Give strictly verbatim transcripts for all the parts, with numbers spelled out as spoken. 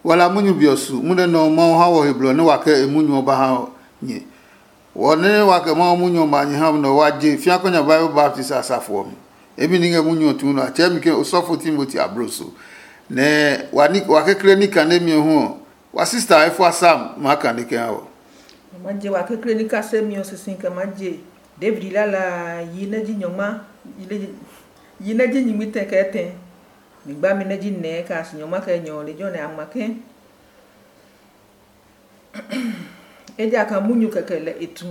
Wala munyu be ɔ su munyu nɛ Mawu ha wɔ he blɔ nɛ wa kɛ e munyu ɔ ba ha nyɛ. Wɔ nɛ wa kɛ Mawu munyu ɔ ma nyɛ ha nɛ wa je fĩa kɔ nya Bible baptist a safo ɔ mi. Emi ní ngɛ munyu ɔ tuu nɔ a tsɛɛ mi ke osɔfo Timoti abloso. Nɛ wa kekle ní kanemi ɔ hu ɔ, wa sista Efua Sam maa kane kɛ ha wɔ. Ma je wa kekle ní kasemi ɔ sisi kɛ ma je David lala yi nɛ ji nyɔngma yi nɛ ji nyingmi tɛ kɛ tɛ. Mi gba mi nɛ ji nɛɛ kɛ a si nyɔngma kɛ nyɔ lejɛ ɔ nɛ a ngma ke. Ejakaa munyu kɛkɛ lɛ e tu,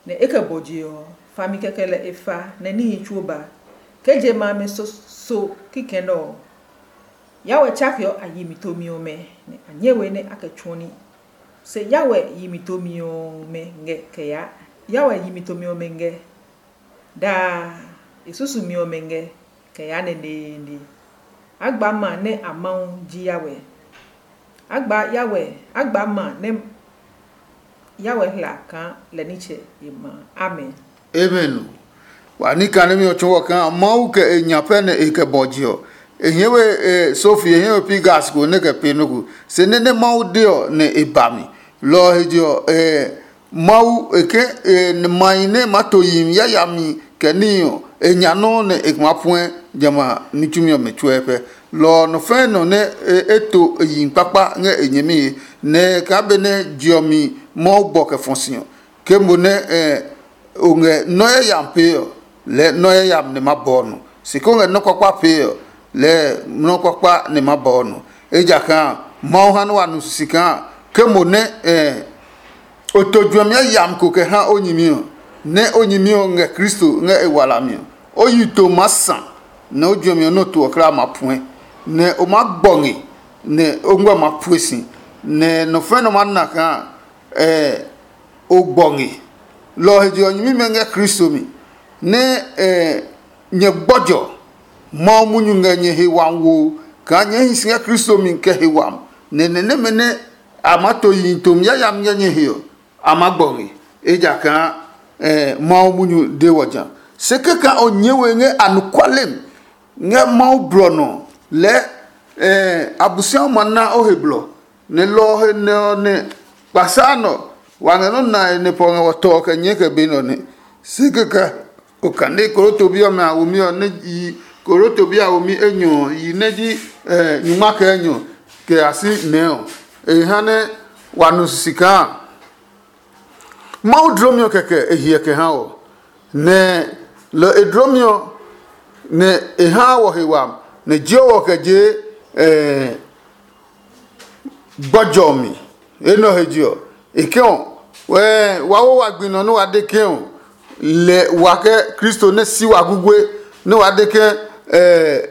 nɛ e kɛ bɔ je ɔ, fami kɛkɛ lɛ e fa, nɛ níhi tsuo ba. Ke je ma amɛ so so kikɛ nɛ ɔ, yawɛ tsakeɔ a yi mi tomi ɔmɛ, nɛ a nyɛ we nɛ a kɛ tsuɔ ní. Se yawɛ yi mi tomi ɔmɛ ngɛ kɛ yaa. Yawɛ yi mi tomi ɔmɛ ngɛ daa, e susumi ɔmɛ ngɛ kɛ yaa neneene. A gba ma nɛ a Mawu ji yawɛ. A gba yawɛ, a gba ma nɛ yawɛ hla kaa lɛ nitsɛ e ma. Amen. Amen. Wa ní kanemi ɔ tsɔɔ kaa Mawu kɛ e nya pɛ nɛ e kɛ bɔ je ɔ. E hie we e sofi, e hie we pi gas ko nɛ kɛ pe nɔ́ ko. Se nɛ nɛ Mawu de ɔ nɛ e ba mi. Lɔ ɔ he je ɔ, e Mawu e ke e mahi nɛ ma to yihi yayami kɛ níhi ɔ, e nya nɔ́ nɛ e ma puɛ jamɛ a ní tsumi ɔmɛ tsuɛ pɛ. Lɔ ɔ nɔ fɛ̃ nɔ nɛ e to yihi kpakpa ngɛ e nyɛmi he, nɛ kaa benɛ je ɔ mi Mawu bɔ kɛ fɔ si ɔ, ke mo nɛ o ngɛ nɔ́ yayami pee ɔ, lɛɛ nɔ́ yayami nɛ ma bɔɔ nɔ. Se ko ngɛ nɔ́ kpakpa pee ɔ, lɛɛ nɔ́ kpakpa nɛ ma bɔɔ nɔ. Ejakaa Mawu ha nɛ wa nu sisi kaa ke mo nɛ o to juɛmi yayami ko kɛ ha o nyɛmi ɔ, nɛ o nyɛmi ɔ ngɛ Kristo ngɛ e walami ɔ, o yi to maa sa, nɛ o juɛmi ɔ nɔ́ to ɔ kulaa ma puɛ, nɛ o maa gbɔ nge, nɛ o ngmɛ ma pue si, nɛ nɔ fɛ̃ nɔ maa na kaa o gbɔ nge. Lɔ ɔ he je ɔ, nyɛmimɛ ngɛ Kristo mi, nɛ nyɛ gbɔjɔ Mawu munyu ngɛ nyɛ he wami wo kaa nyɛɛ hi si ngɛ Kristo mi kɛ he wami, nɛ nɛ nɛmɛ nɛ a maa to yihi tomi yayami ngɛ nyɛ he ɔ, a maa gbɔ nge, ejakaa Mawu munyu de wɔ ja. Se kɛkaa o nyɛɛ we ngɛ anɔkuale mi ngɛ Mawu blɔ nɔ lɛɛ Abosiami ma na o he blɔ, nɛ lɔ ɔ he nɛ ɔ nɛ kpasa nɔ wa ngɛ nɔ́ nae nɛ pɔ ngɛ wɔ tɔ ɔ kɛ nyɛɛ kɛ be nɛ ɔ nɛ. Se kɛkɛ okane koroto bi ɔmɛ a womi ɔ nɛ yi koroto bi a womi enyɔ ɔ yi nɛ ji nyuma kɛ enyɔ kɛ a si nɛɛ ɔ, e ha nɛ wa nu sisi kaa Mawu dlomi ɔ kɛkɛ e hiɛ kɛ ha wɔ, nɛ lɔ e dlomi ɔ nɛ e haa wɔ he wami, nɛ jio wɔ kɛ je gbɔjɔ mi. Enɛ ɔ he je ɔ, e ke ɔ, wa wo wa gbi nɔ nɛ wa de ke ɔ, lɛ wa kɛ Kristo nɛ si wa gugue, nɛ wa de ke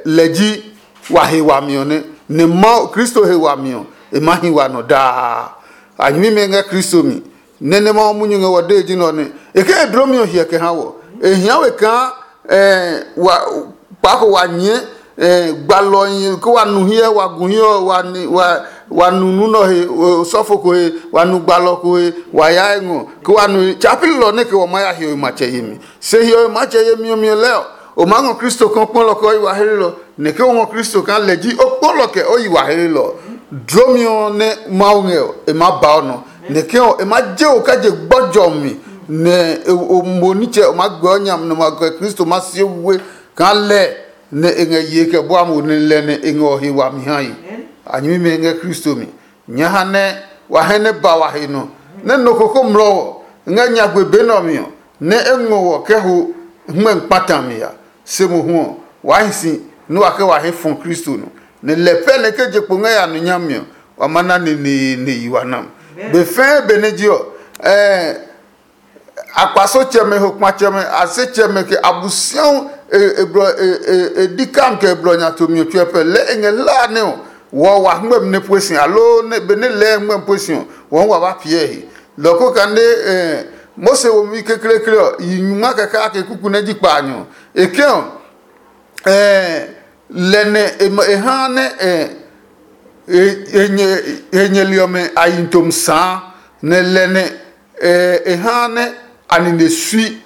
lɛ ji wa he wami ɔ nɛ, nɛ Mawu Kristo he wami ɔ, e maa hi wa nɔ daa. A nyɛmimɛ ngɛ Kristo mi, nɛ nɛ Mawu munyu ngɛ wɔ dee ji nɛ ɔ nɛ. E ke e dlomi ɔ hiɛ kɛ ha wɔ. E hia we kaa wa kpaako wa nyɛɛ gbalɔhi ke wa nu hiɛ, wa gu hiɛ ɔ, wa ni wa wa nu nu nɔ he, osɔfo ko he, wa nu gbalɔ ko he, wa ya ngɔ ke wa nu tsa pililɔ nɛ ke wa ma ya hiɔwe matsɛ yemi. Se hiɔwe matsɛ yemi ɔ mi lɛ ɔ, o maa ngɔ Kristo kɔkpɔlɔ kɛ o yi wa hlelɔ, nɛ ke o ngɔ Kristo kaa lɛ ji o kpɔlɔ kɛ o yi wa hlelɔ. Dlomi ɔ nɛ Mawu ngɛ ɔ, e maa ba o nɔ, nɛ ke ɔ e maa je o kɛ je gbɔjɔ mi, nɛ o mo nitsɛ o maa gbɛ o nya nɛ ma kɛ Kristo ma sie we kaa lɛ nɛ e ngɛ ye kɛ bua mo nɛ lɛ nɛ e ngɛ o he wami ha yi. A nyɛmimɛ ngɛ Kristo mi. Nyɛ ha nɛ wa hɛ nɛ ba wa he nɔ, nɛ nɔ ko ko mlɔ wɔ ngɛ nyagbe be nɛ ɔ mi ɔ, nɛ e ngɔ wɔ kɛ ho hmɛ kpata mi ya. Se mohu ɔ, waa hi si nɛ wa kɛ wa he fɔ Kristo nɔ, nɛ lɛ pɛ nɛ ke je kpo ngɛ ya nɔ nyami ɔ, wa ma na neneene yi wa nam. Be fɛɛ benɛ je ɔ, ɛɛ akpasotsɛmɛ, hokpatsɛmɛ, asetsɛmɛ, kɛ Abosiahu e e blɔ e e e di kam kɛ e blɔ nya tomi ɔ tsuɛ pɛ lɛ e ngɛ hla nɛ ɔ wɔ wa hngmɛmi nɛ pue si, aloo nɛ benɛ lɛɛ hngmɛmi pue si ɔ, wɔ hu wa ba piɛ he. Lɔ ko kane eh, Mose womi kekleekle ɔ yi nyuma kɛ kake kuku nɛ ji kpaanyɔ. E ke ɔ, eh, lɛ nɛ e ma- e ha nɛ eh, e e nyɛ e nyɛli ɔmɛ a yi tom saa, nɛ lɛ nɛ eh, e ha nɛ a nine sui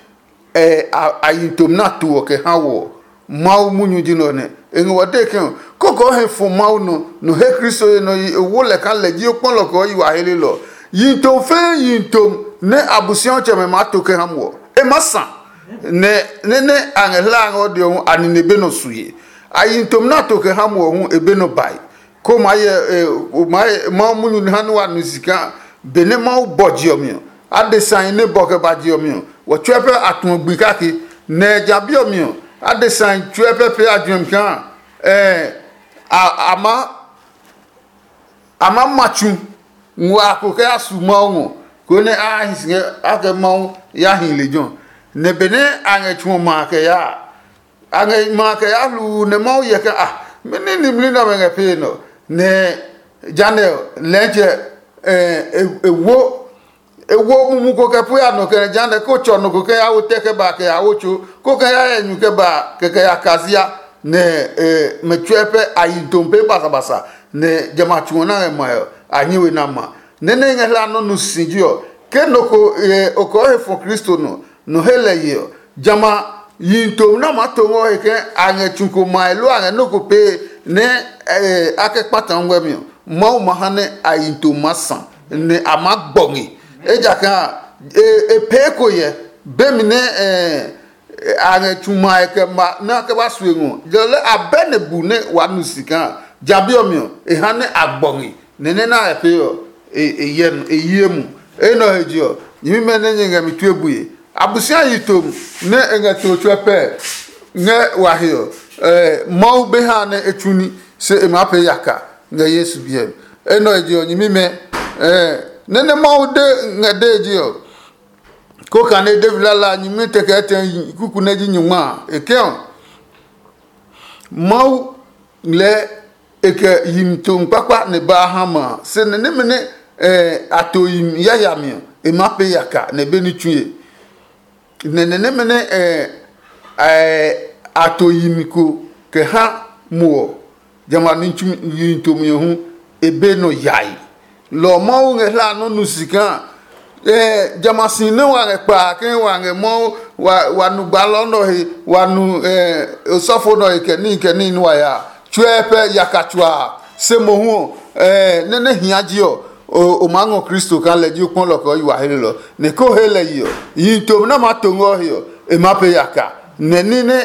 eh, a, a yi tom na to ɔ kɛ ha wɔ. Mawu munyu ji nɛ ɔ nɛ. E ngɛ wɔ dee ke ɔ, koko o he fɔ Mawu nɔ, nɔ he Kristo ye nɔ yi e wo lɛ kaa lɛ ji o kpɔlɔ kɛ o yi wa helelɔ. Yi tom fɛɛ yi tom nɛ Abosiatsɛmɛ maa to kɛ ha muɔ. E maa sa, nɛ nɛ nɛ a ngɛ hlaa ngɛ o de ɔ hu a nine be nɔ sue. A yi tom nɛ a to kɛ ha muɔ hu e be nɔ bae. Ko maa yɛ e o maa yɛ Mawu munyu ha nɛ wa nu si kaa benɛ Mawu bɔ je ɔ mi ɔ, adesai nɛ bɔ kɛ ba je ɔ mi ɔ, wɔ tsuɛ pɛ a tuɔ gbi kake. Nɛ ja bi ɔ mi ɔ, adesai tsuɛ pɛ pee a juɛmi kaa ɛɛ a a ma a ma ma tsu ngua ko kɛ ya su Mawu ngɔ, konɛ a hi si ngɛ a kɛ Mawu ya hi lejɛ ɔ. Nɛ benɛ a ngɛ tsu ɔ ma kɛ yaa, a ngɛ ma kɛ ya hluu nɛ Mawu hyɛ ke a mɛni nimli nɛ ɔmɛ ngɛ pee nɔ. Nɛ janɛ ɔ, lɛɛtsɛ e wo e wo mumu ko kɛ pue a nɔ kɛ nɛ janɛ ko tsɔ nɔ ko kɛ ya wo tɛ kɛ ba kɛ ya wo tso ko kɛ ya yɛ nyu kɛ ba kɛ kɛ ya kazia. Nɛ mɛ tsuɛ pɛ a yi tom pee basabasa. Nɛ jamɛ a tsu ɔ na ngɛ maɛ ɔ, a nyi we na ma. Nɛ nɛ ngɛ hla nɔ́ nu si ji ɔ, ke nɔ ko o kɔɔ he fɔ Kristo nɔ, nɔ he lɛ ye ɔ, jamɛ a yihi tomi nɛ a maa to ngɔ he ke a ngɛ tsu ko mae loo a ngɛ nɔ́ ko pee nɛ a kɛ kpata ngmɛmi ɔ, Mawu ma ha nɛ a yihi tomi maa sa, nɛ a maa gbɔ nge. Ejakaa e pee ko yɛ bemi nɛ a ngɛ tsu mae kɛ ma nɛ a kɛ ba sue ngɔ, lɔ lɛ a bɛ nɛ bu nɛ waa nu si kaa ja bi ɔ mi ɔ, e ha nɛ a gbɔ nge. Nɛ nɛ nɛ a pee ɔ, e hyɛ e yie mu. Enɛ ɔ he je ɔ, nyɛmimɛ nɛ nyɛ ngɛ mi tue bue, Abosiaye tom nɛ e ngɛ to tsuɛ pɛ ngɛ wa he ɔ, Mawu be ha nɛ e tsu ní, se e maa pee yaka ngɛ Yesu biɛ mi. Enɛ ɔ he je ɔ, nyɛmimɛ, nɛ nɛ Mawu de ngɛ dee je ɔ, ko kane David lala a nyingmi tɛ kɛ tɛ kuku nɛ ji nyungma a, e ke ɔ, Mawu lɛɛ e kɛ yimi tomi kpakpa nɛ ba ha ma a, se nɛ nɛmɛ nɛ a to yimi yayami ɔ, e maa pee yaka nɛ be ní tsue. Nɛ nɛ nɛmɛ nɛ a to yimi ko kɛ ha mo ɔ, jamɛ a ní tsumi yimi tomi ɔ hu e be nɔ yae. Lɔ ɔ Mawu ngɛ hla nɔ́ nu si kaa jamɛ a si nɛ wa ngɛ kpaa ke wa ngɛ Mawu wa nu gbaalɔ nɛ ɔ he, wa nu osɔfo nɛ ɔ he kɛ níhi kɛ níhi nɛ wa ya a, tsuɛ pɛ yaka tsuaa. Se mohu ɔ, nɛ nɛ hia ji ɔ, o maa ngɔ Kristo kaa lɛ ji o kpɔlɔ kɛ o yi wa helelɔ, nɛ ko he lɛ yi ɔ, yihi tomi nɛ a maa to ngɛ o he ɔ, e maa pee yaka. Nɛ ní nɛ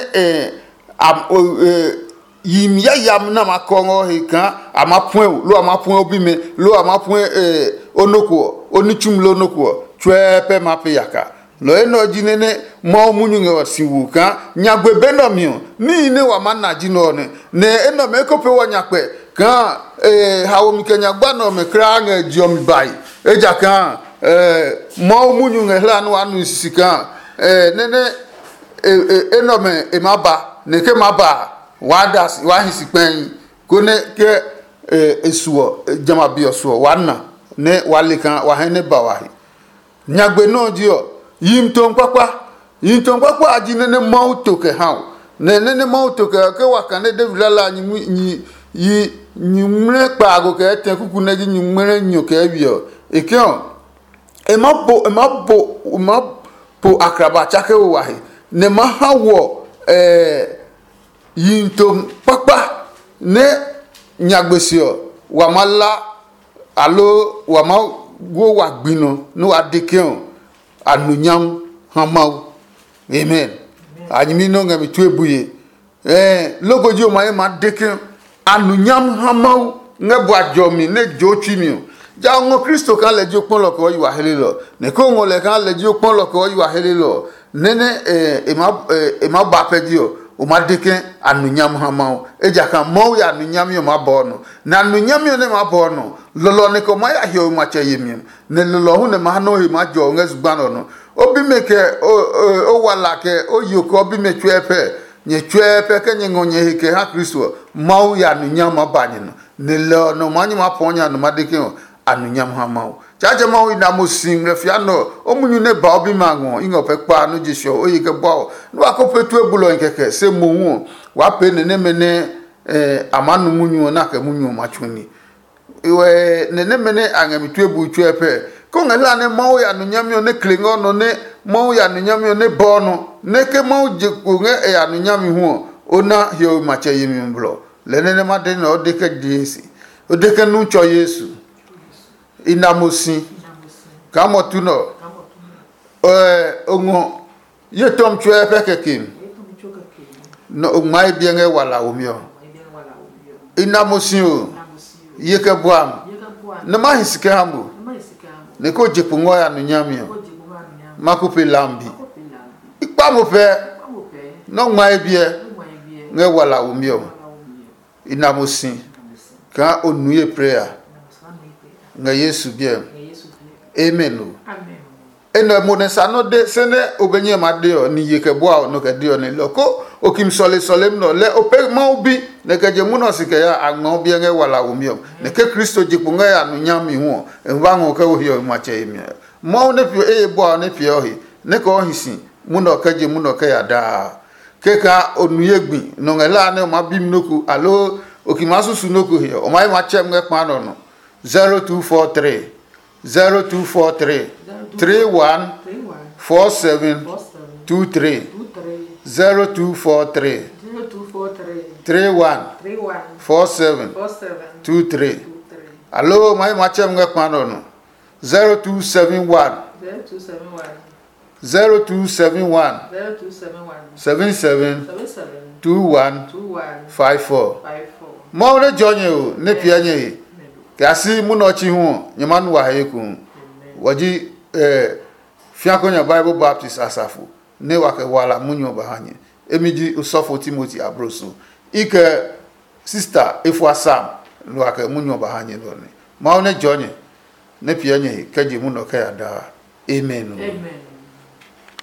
yimi yayami nɛ a maa kɔ ngɛ o he kaa a maa puɛ o, loo a maa puɛ o bimɛ, loo a maa puɛ o nɔ ko ɔ, o ní tsumi loo nɔ ko ɔ, tsuɛ pɛ maa pee yaka. Lɔ enɛ ɔ ji nɛ nɛ Mawu munyu ngɛ ɔ si wu kaa nyagbe be nɛ ɔ mi ɔ, níhi nɛ wa maa na ji nɛ ɔ nɛ. Nɛ enɛ ɔmɛ eko pee wɔ nyakpɛ kaa haomi kɛ nyagba nɛ ɔmɛ kulaa ngɛ je ɔ mi bae. Ejakaa Mawu munyu ngɛ hla nɛ waa nu sisi kaa nɛ nɛ enɛ ɔmɛ e maa ba, nɛ ke maa ba a, waa da si, waa hi si kpɛi, konɛ ke e su ɔ, jamɛ a be ɔ su ɔ, waa na, nɛ waa le kaa wa hɛ nɛ ba wa he. Nyagbe nɔ́ ɔ ji ɔ, yihi tomi kpakpa. Yihi tomi kpakpa a ji nɛ nɛ Mawu to kɛ ha o. Nɛ nɛ nɛ Mawu to kɛ ke wa kane David lala a nyingmi yi nyingmlɛ kpaago kɛ etɛ kuku nɛ ji nyingmlɛ nyɔ kɛ wi ɔ, e ke ɔ, e ma po e ma po e ma po akraba tsake wo wa he, nɛ ma ha wɔ ɛɛ yihi to kpakpa nɛ nyagbe se ɔ, wa ma la, aloo wa ma wo wa gbi nɔ nɛ wa de ke ɔ, a nu nyam ha Mawu. Amen. A nyɛmi nɛ o ngɛ mi tue bue. Ɛɛ, loko ji o ma ye ma de ke a nu nyam ha Mawu ngɛ bua jɔmi nɛ jo tsui mi ɔ. Ja o ngɔ Kristo kaa lɛ ji o kpɔlɔ kɛ o yi wa helelɔ, nɛ ko ngɔ lɛ kaa lɛ ji o kpɔlɔ kɛ o yi wa helelɔ ɔ, nɛ nɛ e ma ba pɛ ji ɔ, o ma de ke a nu nyam ha Mawu. Ejakaa Mawu ya nu nyami ɔ maa bɔɔ nɔ, nɛ a nu nyami ɔ nɛ maa bɔɔ nɔ, lɔlɔ nɛ kɛ ma ya hiɔwe matsɛ yemi ɔ, nɛ lɔlɔ hu nɛ ma ha nɔ́ he maa jɔ ngɛ zugba nɛ ɔ nɔ. O bimɛ kɛ o wala kɛ o yo kɛ o bimɛ tsuɛ pɛ, nyɛ tsuɛ pɛ kɛ nyɛ ngɔ nyɛ he kɛ ha Kristo ɔ, Mawu ya nu nyami maa ba nyɛ nɔ. Nɛ lɛ ɔ nɔ maa nyɛ maa pɔɔ nya nɔ ma de ke ɔ, a nu nyami ha Mawu. Tsaatsɛ Mawu i na mo si ngmlɛ fia nɛ ɔ, o munyu nɛ ba o bimɛ a ngɔ i ngɔ pɛ kpa nɔ je sɛ ɔ o ye kɛ bua ɔ. Nɛ wa ko pee tue bulɔ ɔ kɛkɛ se mohu ɔ, waa pee nɛ nɛmɛ nɛ a maa nu munyu ɔ na kɛ munyu ɔ ma tsu ní. Wɛ nɛ nɛmɛ nɛ a ngɛ mi tue bui tsuɛ pɛ. Ke o ngɛ hla nɛ Mawu ya nu nyami ɔ nɛ kle ngɛ o nɔ nɛ Mawu ya nu nyami ɔ nɛ bɔɔ nɔ, nɛ ke Mawu je kpo ngɛ e ya nu nyami hu ɔ, O na hiɔwe matsɛ yemi ɔ blɔ, lɛ nɛ nɛ ma de nɛ o de kɛ die si. O de kɛ nu tsɔ Yesu. I na mo si. Kaa mɔ tu nɔ. Ɛ, o ngɔ ye tɔm tsuɛ pɛ kɛkem. Nɔ o ngma e biɛ ngɛ wala womi ɔ. I na mo si o. Ye kɛ buam. Nɛ ma hi si kɛ ha mo. Nɛ ko je kpo ngɔ ya nu nyami ɔ. Ma ko pe lambi. I kpa mo pɛ. Nɔ ngma e biɛ ngɛ wala womi ɔ. I na mo si. Kaa o nu ye prayer ngɛ Yesu biɛ. Amen o. Enɛ mo nɛ sa nɔ de se nɛ o be nyɛ ma de ɔ ni ye kɛ bua ɔ nɔ kɛ de ɔ nɛ lɔ ko o kim sɔle sɔlem nɔ lɛ o pe Mawu bi nɛ kɛ je munɔ si kɛ ya a ngma o biɛ ngɛ wala womi ɔ. Nɛ ke Kristo je kpo ngɛ ya nu nyami hu ɔ, e ba ngɔ kɛ o hiɔ matsɛ yemi. Mawu nɛ piɔ eye bua ɔ nɛ piɛ ɔ he nɛ kɛ o hi si munɔ kɛ je munɔ kɛ ya daa. Kɛkaa o nu ye gbi nɔ ngɛ la nɛ o ma bi mi nɔ ko aloo o ki ma susu nɔ ko he ɔ, o ma yi ma tsɛ mi ngɛ kpa nɔ nɔ. Zero two four three, zero two four three, three one four seven two three. Zero two four three, three one four seven two three. Aloo o ma yi ma tsɛ mi ngɛ kpa nɔ nɔ. Zero two seven one, zero two seven one, zero two seven one, zero two seven one, seven seven, seven seven, two one, two one, five four. Five four. Mawu nɛ jɔ nyɛ o nɛ piɛ nyɛ he. Kɛ a si munɔ ɔ chi hu ɔ, nyɛ ma nu wa he ekohu. Wɔ ji eh, fiako nya Bible Baptist asafo nɛ wa kɛ wala munyu ɔ ba ha nyɛ. Emi ji osɔfo Timoti abroso. I kɛ sista efua sam lo wa kɛ munyu ɔ ba ha nyɛ lɔ nɛ. Mawu nɛ jɔ nyɛ nɛ piɛ nyɛ he kɛ je munɔ kɛ ya daa. Amen. Amen.